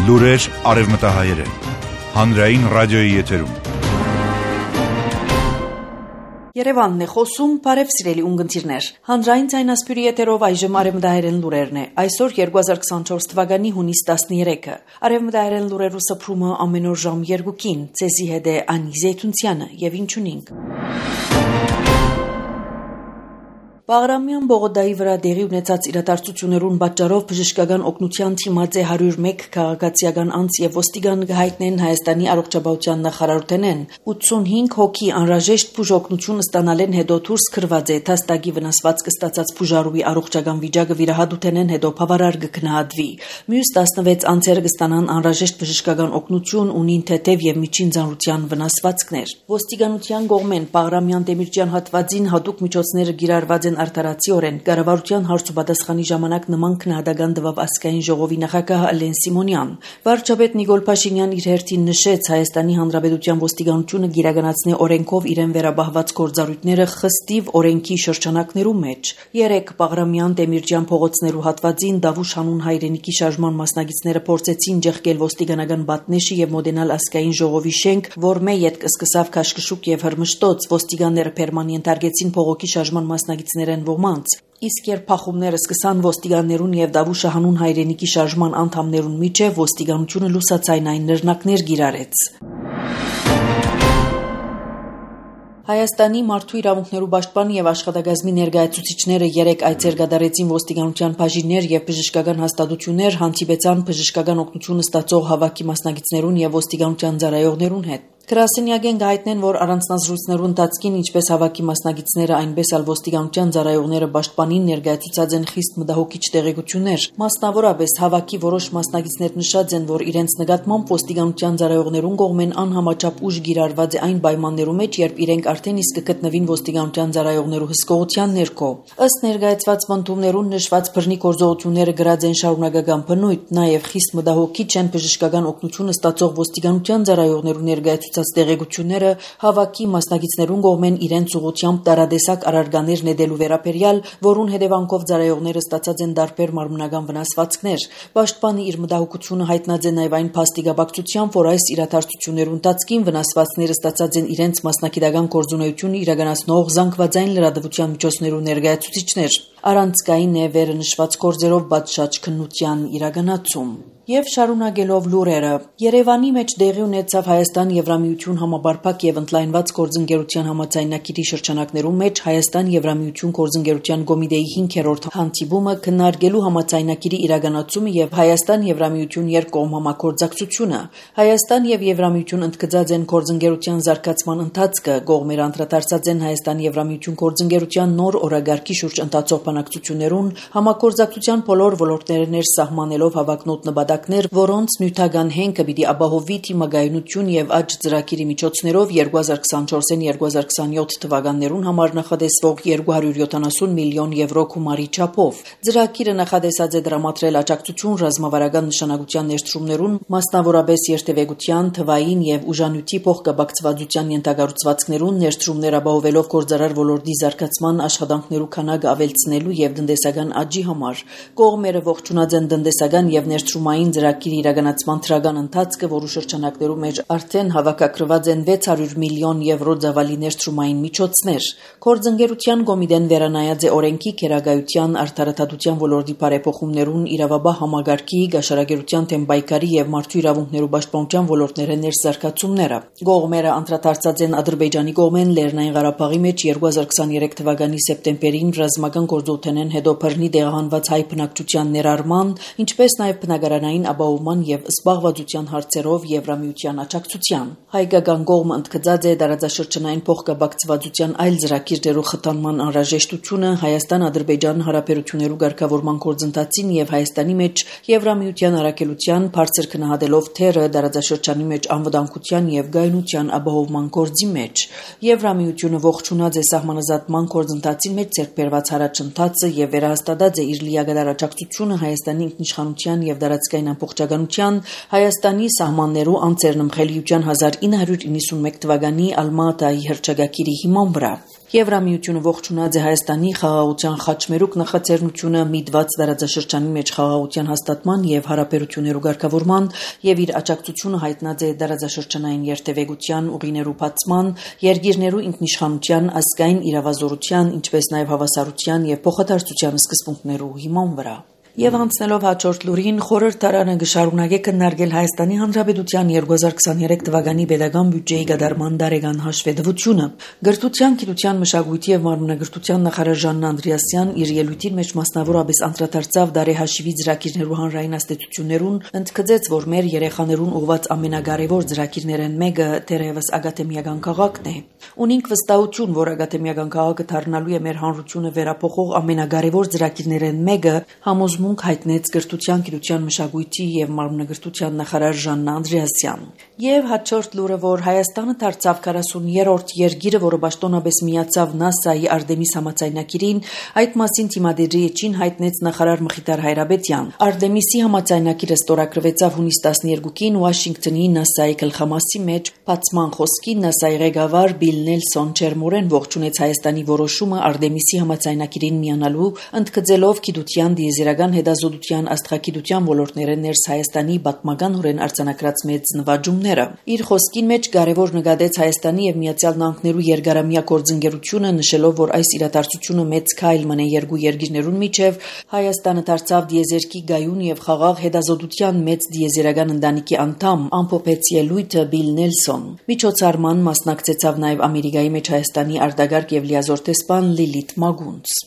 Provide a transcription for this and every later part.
Լուրեր արևմտահայերեն, հանրային ռադիոյի եթերում։ Երևանն է խոսում, բարև սիրելի ունգընտիրներ։ Հանրային ձայնասպյուրի եթերով այժմ արևմտահայերեն լուրերն է։ Այսօր 2024 թվականի հունիս 13-ը։ Արևմտահայերեն լուրերու սփռումը ամեն օր ժամ 2-ին։ Ցեզի հետ է Անի Զեյթունցյանը եւ ինչունինք։ Բաղրամյան Բողոդայի վրա դեղի ունեցած իրադարձություններուն պատճառով բժշկական օգնության թիմած է 101 քաղաքացիական անձ եւ ոստիգան գահիտնեն Հայաստանի առողջապահության նախարարութենեն 85 հոգի անհրաժեշտ բուժօգնություն ստանալեն հետո դուրս քրված է թաստագի վնասված կստացած բուժարուի առողջական վիճակը վիրահատութենեն հետո բավարար կգնահատվի մյուս 16 անձերը կստանան անհրաժեշտ բժշկական օգնություն ունին թեթև եւ միջին ծանրության վնասվածքներ ոստիգանության կողմեն Բաղրամյան Դեմիրճյան հատվածին հատուկ միջոցները գիրառված արդարացիորեն կառավարության հարցուպատասխանի ժամանակ նման քննադատական տվավ ազգային ժողովի նախագահ Ալեն Սիմոնյան։ Վարչապետ Նիկոլ Փաշինյան իր հերթին նշեց Հայաստանի Հանրապետության ոստիգանությունը գիրականացնի օրենքով իրեն վերաբահված գործառույթները խստիվ օրենքի շրջանակներու մեջ։ 3 Բաղրամյան Դեմիրճյան փողոցներու հատվածին Դավուշ հանուն հայրենիքի շարժման մասնակիցները փորձեցին ջեղկել ոստիգանական բատնեշի եւ մոդենալ ազգային ժողովի շենք, որ մեյետ կսկսավ քաշքշուկ եւ հրմշտոց ոստիգանները պերմանենտ արգեցին փողոքի շարժման մասնակիցները ոմանց իսկ երբ փախումները սկսան ոստիգաններուն եւ Դավուշը հանուն հայրենիքի շարժման անդամներուն միջև ոստիգանությունը լուսացայնային նռնակներ գիրարեց Հայաստանի մարդու իրավունքներու պաշտպան եւ աշխատակազմի ներկայացուցիչները 3 այցեր կատարեցին ոստիգանության բաժիններ եւ բժշկական հաստատություններ հանդիպեցան բժշկական օգնություն ստացող հավաքի մասնակիցներուն եւ ոստիգանության ծառայողներուն հետ Գրասենյակեն գայտնեն, որ առանձնազրույցներու ընթացքին ինչպես հավաքի մասնակիցները, այնպես էլ ոստիգանության ծառայողները պաշտպանին ներկայացուցած են խիստ մտահոգիչ տեղեկություններ։ Մասնավորապես հավաքի որոշ մասնակիցներ նշած են, որ իրենց նկատմամբ ոստիգանության ծառայողներուն կողմեն անհամաչափ ուժ գիրառված է այն պայմաններու մեջ, երբ իրենք արդեն իսկ կգտնվին ոստիգանության ծառայողներու հսկողության ներքո։ Ըստ ներկայացված պնդումներուն նշված բռնի գործողությունները գրած են շարունակական բնույթ, նաև խիստ մտահոգիչ են բժշկական օգնություն ստացող ոստիգանության ծառայողներու ներկայացուցած տեղեկությունները հավաքի մասնակիցներուն կողմեն իրենց ուղղությամբ տարադեսակ առարկաներ նետելու վերաբերյալ, որուն հետևանքով ծառայողները ստացած են տարբեր մարմնական վնասվածքներ։ Պաշտպանը իր մտահոգությունը հայտնած է նաև այն փաստիկաբակցությամբ, որ այս իրադարձություններու ընթացքին վնասվածքները ստացած են իրենց մասնակիտական գործունեությունը իրականացնող զանգվածային լրատվության միջոցներու ներկայացուցիչներ։ Առանցքային է վերը նշված գործերով պատշաճ քննության իրականացում։ Եվ շարունակելով լուրերը, Երևանի մեջ դեղի ունեցավ Հայաստան-Եվրամիություն համապարփակ եւ ընդլայնված գործընկերության համաձայնագիրի շրջանակներում մեջ Հայաստան-Եվրամիություն գործընկերության կոմիտեի 5-րդ հանդիպումը քննարկելու համաձայնագիրի իրականացումը եւ Հայաստան-Եվրամիություն երկկողմ համագործակցությունը։ Հայաստան եւ Եվրամիություն ընդգծած են գործընկերության զարգացման ընթացքը, կողմերը անդրադարձած են Հայաստան-Եվրամիություն գործընկերության նոր օրագարկի շուրջ ընթացող բանակցություններուն, համագործակցության բոլոր ոլորտները ներսահմանելով հավակնոտ նպատակներ, որոնց նյութական հենքը պիտի ապահովի թիմագայունություն եւ աճ ծրագիրի միջոցներով 2024-2027 թվականներուն համար նախատեսվող 270 միլիոն եվրո գումարի չափով։ Ծրագիրը նախադեսած է դրամատրել աջակցություն ռազմավարական նշանակության ներդրումներուն, մասնավորապես երթևեկության, թվային եւ ուժանյութի փոխկապակցվածության ենթակառուցվածքներուն ներդրումներ ապահովելով գործարար ոլորտի զարգացման աշխատանքներու քանակը ավելցնելու եւ տնտեսական աճի համար։ Կողմերը ողջունած են տնտեսական եւ ներդրումային ծրագիրի իրականացման թրական ընթացքը, որու շրջանակներում մեջ արդեն հավաքագրված են 600 միլիոն եվրո ծավալի ներդրումային միջոցներ։ Գործընկերության կոմիտեն վերանայած է օրենքի քերագայության արդարադատության ոլորտի բարեփոխումներուն իրավաբահ համագարկի, գաշարագերության թեմ պայքարի եւ մարդու իրավունքներու պաշտպանության ոլորտները ներզարգացումները։ Կողմերը անդրադարձած են Ադրբեջանի կողմեն Լեռնային Ղարաբաղի մեջ 2023 թվականի սեպտեմբերին ռազմական գործողությունեն հետո բռնի տեղահանված հայ բնակչության ներառման, ինչպես նաև բնակարանային ապահովման եւ զբաղվածության հարցերով Եվրամիության աջակցության։ Հայկական կողմը ընդգծած է տարածաշրջանային փոխկապակցվածության այլ ծրագիրներու խթանման անհրաժեշտությունը Հայաստան-Ադրբեջան հարաբերություններու ղեկավարման գործընթացին եւ Հայաստանի մեջ Եվրամիության առաքելության բարձր քննադատելով թերը տարածաշրջանի մեջ անվտանգության եւ գայունության ապահովման գործի մեջ։ Եվրամիությունը ողջունած է սահմանազատման գործընթացի մեջ ձեռքբերված առաջընթացը եւ վերահաստատած է իր լիակատար աջակցությունը Հայաստանի ինքնիշխանության եւ տարածքային ազգային ամբողջականության Հայաստանի սահմաններու անձեռնմխելիության 1991 թվականի Ալմատայի հռչակագիրի հիման վրա։ Եվրամիությունը ողջունած է Հայաստանի խաղաղության խաչմերուկ նախաձեռնությունը միտված դարաձաշրջանի մեջ խաղաղության հաստատման եւ հարաբերություններու ղեկավարման եւ իր աջակցությունը հայտնած է դարաձաշրջանային երթևեկության ուղիներու բացման, երկիրներու ինքնիշխանության, ազգային իրավազորության, ինչպես նաեւ հավասարության եւ փոխադարձության սկզբունքներու հիման վրա։ Եվ անցնելով հաջորդ լուրին, խորհրդարանը կշարունակի քննարկել Հայաստանի Հանրապետության 2023 թվականի պետական բյուջեի կատարման տարեկան հաշվետվությունը։ Գրթության, գիտության, մշակույթի եւ մարմնագրթության նախարար Ժաննա Անդրեասյան իր ելույթին մեջ մասնավորապես անդրադարձավ տարեհաշիվի ծրագիրներու հանրային աստեցություններուն, ընդգծեց, որ մեր երեխաներուն ուղված ամենակարևոր ծրագիրներն մեկը դեռևս ակադեմիական քաղաքն է։ Ունենք վստահություն, որ ակադեմիական քաղաքը դառնալու է մեր հանրությունը վերապոխող ամենակարևոր ծրագիրներն մեկը, համոզմունք հայտնեց գրթության, գիտության, մշակույթի եւ մարմնագրթության նախարար Ժաննա Անդրեասյան։ Եվ հաջորդ լուրը, որ Հայաստանը դարձավ 40-րդ երկիրը, որը պաշտոնապես միացավ ՆԱՍԱ-ի Արտեմիս համաձայնագիրին, այդ մասին թիմադերի էջին հայտնեց նախարար Մխիթար Հայրաբեդյան։ Արտեմիսի համաձայնագիրը ստորագրվեցավ հունիս 12-ին Վաշինգտոնի ՆԱՍԱ-ի գլխամասի մեջ, բացման խոսքին ՆԱՍԱ-ի ղեկավար Բիլ Նելսոն ջերմորեն ողջունեց Հայաստանի որոշումը Արտեմիսի համաձայնագիրին միանալու, ընդգծելով գիտության, դիեզերական հետազոտության, աստղագիտության ոլորտները ներս Հայաստանի պատմականորեն արձանագրած մեծ նվաճումները։ Իր խոսքին մեջ կարևոր նկատեց Հայաստանի եւ Միացյալ Նահանգներու երկարամյա գործընկերությունը, նշելով, որ այս իրադարձությունը մեծ քայլ մնե երկու երկիրներուն միջև, Հայաստանը դարձավ դիեզերքի գայուն եւ խաղաղ հետազոտության մեծ դիեզերական ընտանիքի անդամ, ամփոփեց ելույթը Բիլ Նելսոն։ Միջոցառման մասնակցեցավ նաեւ Ամերիկայի մեջ Հայաստանի արտագաղթ եւ լիազոր տեսփան Լիլիթ Մագունց։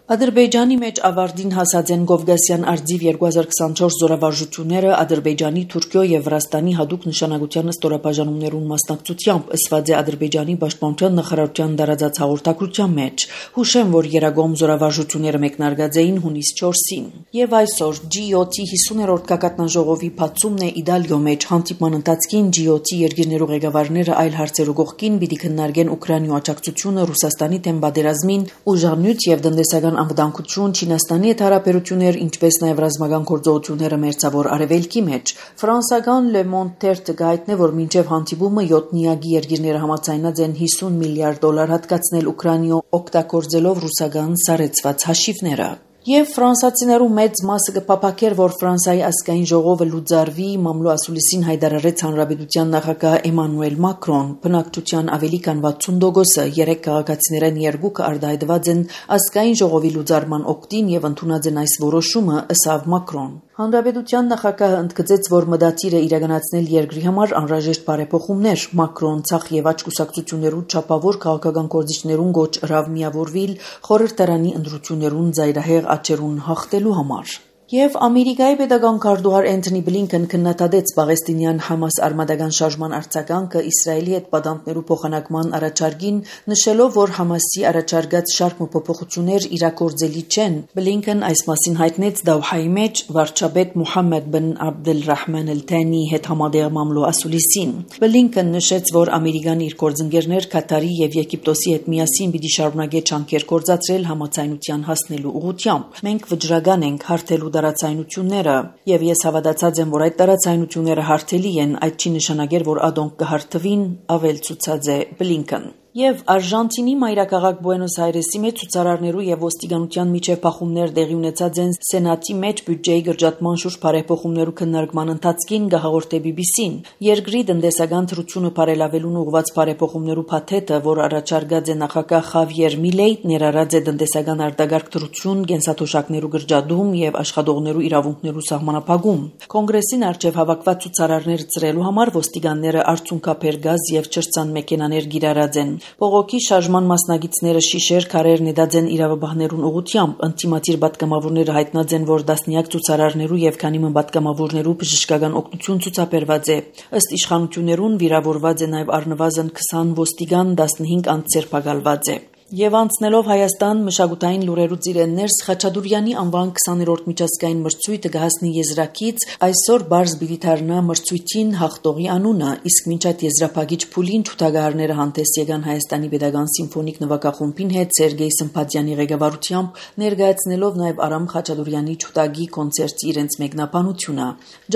Ադրբեջանի մեջ ավարտին հասած են Կովկասյան արձիվ 2024 զորավարժությունները Ադրբեջանի, Թուրքիո եւ Վրաստանի հատուկ նշանակության ստորաբաժանումներուն մասնակցությամբ, ըսված է Ադրբեջանի պաշտպանության նախարարության տարածած հաղորդագրության մեջ։ Հուշեմ, որ երագոմ զորավարժությունները մեկնարկած էին հունիս 4-ին։ Եվ այսօր G7-ի 50-րդ գագաթնաժողովի բացումն է Իտալիո մեջ հանդիպման ընթացքին G7-ի երկիրներու ղեկավարները այլ հարցերու կողքին պիտի քննարկեն Ուկրաինայու աջակցությունը Ռուսաստանի դեմ պատերազմին, ուժանյութ եւ տնտեսական անվտանգություն, Չինաստանի հետ հարաբերություններ, ինչպես նաև ռազմական գործողությունները Մերձավոր Արևելքի մեջ։ Ֆրանսական Le Monde թերթը գայտնե, որ մինչև հանդիպումը 7-նիագի երկիրները համաձայնած են $50 միլիարդ հատկացնել Ուկրաինայու օգտագործելով ռուսական սառեցված հաշիվները։ Եվ ֆրանսացիներու մեծ մասը կփափակեր, որ Ֆրանսիայի ազգային ժողովը լուծարվի, մամլո ասուլիսին հայտարարեց հանրապետության նախագահ Էմանուել Մակրոն։ Բնակչության ավելի քան 60%-ը, 3 քաղաքացիներեն 2-ը արտահայտված են ազգային ժողովի լուծարման օգտին եւ ընդունած են այս որոշումը, ըսավ Մակրոն։ Հանրապետության նախագահը ընդգծեց, որ մտադիր է իրականացնել երկրի համար անհրաժեշտ բարեփոխումներ։ Մակրոն ցախ եւ աճ կուսակցություններու չափավոր քաղաքական գործիչներուն գոչ հրավ միավորվել խորհրդարանի ընտրություններուն զայրահեղ աճերուն հաղթելու համար։ Եվ Ամերիկայի պետական քարտուղար Էնթոնի Բլինքեն քննադատեց Պաղեստինյան Համաս արմատական շարժման արձագանքը Իսրայելի հետ պատանդներու փոխանակման առաջարկին, նշելով, որ Համասի առաջարկած շարք փոփոխություններ իրագործելի չեն։ Բլինքեն այս մասին հայտնեց Դավհայի մեջ վարչապետ Մուհամմեդ բն Աբդելրահման Էլ-Թանիի հետ համատեղ մամլո ասուլիսին։ Բլինքեն նշեց, որ Ամերիկան իր գործընկերներ Կատարի եւ Եգիպտոսի հետ միասին պիտի շարունակի ջանքեր գործադրել համաձայնության հասնելու ուղղությամբ։ Մենք վճռական ենք հարթելու տարածայնությունները, եւ ես հավատացած եմ, որ այդ տարածայնությունները հարթելի են, այդ չի նշանակեր, որ ադոնք կհարթվին, ավելցուցած է Բլինքեն։ Եվ Արժանտինի մայրաքաղաք Բուենոս Այրեսի մեջ ցուցարարներու եւ ոստիկանության միջև փախումներ տեղի ունեցած են Սենատի մեջ բյուջեի գրջատման շուրջ բարեփոխումներու քննարկման ընթացքին գահաղորդե BBC-ին։ Երկրի տնտեսական թրությունը բարելավելուն ուղղված բարեփոխումներու փաթեթը, որ առաջարկած է նախագահ Խավիեր Միլեյ, ներառած է տնտեսական արտագաղթ թրություն, կենսաթոշակներու գրջադում եւ աշխատողներու իրավունքներու սահմանափակում։ Կոնգրեսին արչեւ հավաքված ցուցարարները ծրելու համար ոստիկանները արցունքափեր գազ եւ չրցան մեքենաներ գիրառած են։ Բողոքի շարժման մասնակիցները շիշեր քարեր նետած են իրավաբաններուն ուղղությամբ, ընդդիմադիր պատգամավորները հայտնած են, որ դասնյակ ցուցարարներու եւ քանի պատգամավորներու բժշկական օգնություն ցուցաբերված է։ Ըստ իշխանություններուն վիրավորված է նաեւ առնվազն 20 ոստիգան, 15 անձ ձերբակալված է։ Եվ անցնելով Հայաստան մշակութային լուրերու ծիրեններս Խաչատուրյանի անվան 20-րդ միջազգային մրցույթը կհասնի եզրակից, այսօր բարձ բիլիթարնա մրցույթին հաղթողի անունը, իսկ մինչ այդ եզրափակիչ փուլին թութագարները հանդես եկան Հայաստանի Պետական Սիմֆոնիկ նվագախումբին հետ Սերգեյ Սմփատյանի ղեկավարությամբ, ներկայացնելով նաև Արամ Խաչատուրյանի թութագի կոնցերտի իրենց մեկնաբանությունը։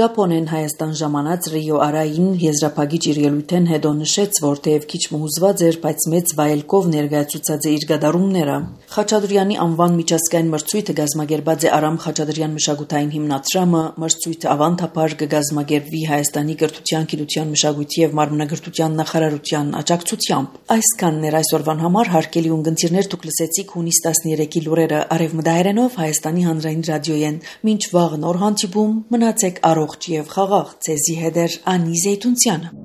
Ճապոնեն Հայաստան ժամանած Ռիո Արային եզրափակիչ իր ելույթեն հետո նշեց, որ թեև քիչ մուզված էր, բայց մեծ վայելքով ներկայացուցած իր գդարումները։ Խաչատուրյանի անվան միջազգային մրցույթը գազմագերբած է Արամ Խաչատուրյան մշակութային հիմնադրամը, մրցույթը ավանդաբար կգազմագերբվի Հայաստանի կրթության, գիտության, մշակույթի եւ մարմնագրթության նախարարության աջակցությամբ։ Այսքանն էր այսօրվան համար, հարգելի ունգընտիրներ, դուք լսեցիք հունիս 13-ի լուրերը արևմտահայերենով Հայաստանի հանրային ռադիոյեն։ Մինչ վաղ նոր հանդիպում, մնացեք առողջ եւ խաղաղ։ Ձեզի հետ է Անի Զեյթունցյանը։